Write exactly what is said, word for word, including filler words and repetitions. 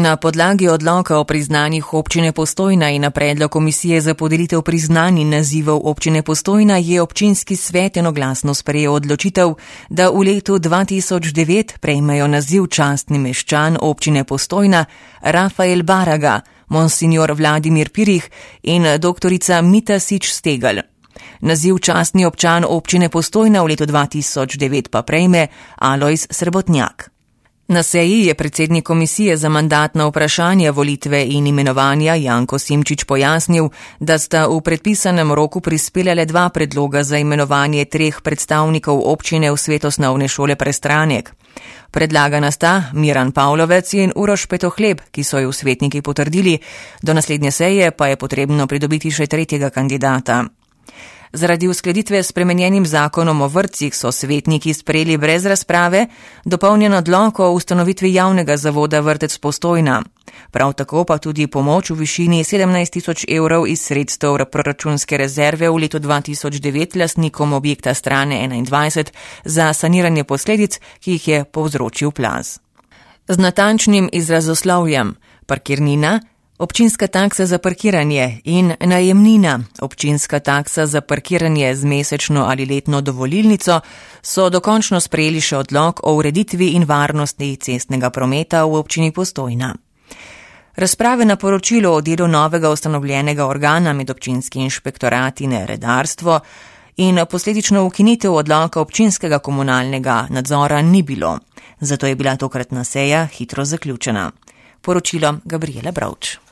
Na podlagi odloka o priznanjih občine Postojna in na predlog komisije za podelitev priznanj in nazivov občine Postojna je občinski svet enoglasno sprejel odločitev, da v letu dva tisoč devet prejmejo naziv častni meščan občine Postojna Rafael Baraga, monsignor Vladimir Pirih in doktorica Mita Sič Stegel. Naziv častni občan občine Postojna v letu dva tisoč devet pa prejme Alojz Srebotnjak. Na seji je predsednik komisije za mandatna vprašanja, volitve in imenovanja Janko Simčič pojasnil, da sta v predpisanem roku prispela le dva predloga za imenovanje treh predstavnikov občine v svet osnovne šole Prestranek. Predlagana sta Miran Pavlovec in Uroš Petohleb, ki so ju svetniki potrdili, do naslednje seje pa je potrebno pridobiti še tretjega kandidata. Zaradi uskladitve s spremenjenim zakonom o vrtcih so svetniki sprejeli brez razprave dopolnjen odlok o ustanovitvi javnega zavoda Vrtec Postojna. Prav tako pa tudi pomoč v višini sedemnajst tisoč evrov iz sredstev proračunske rezerve v letu dva tisoč devet lastnikom objekta Strane enaindvajset za saniranje posledic, ki jih je povzročil plaz. Z natančnim izrazoslovjem parkirnina, občinska taksa za parkiranje in najemnina, občinska taksa za parkiranje z mesečno ali letno dovolilnico, so dokončno sprejeli še odlok o ureditvi in varnosti cestnega prometa v občini Postojna. Razprave na poročilo o delu novega ustanovljenega organa med občinski inšpektorat in redarstvo in posledično ukinitev odloka občinskega komunalnega nadzora ni bilo. Zato je bila tokratna seja hitro zaključena. Poročilo Gabriela Bravč.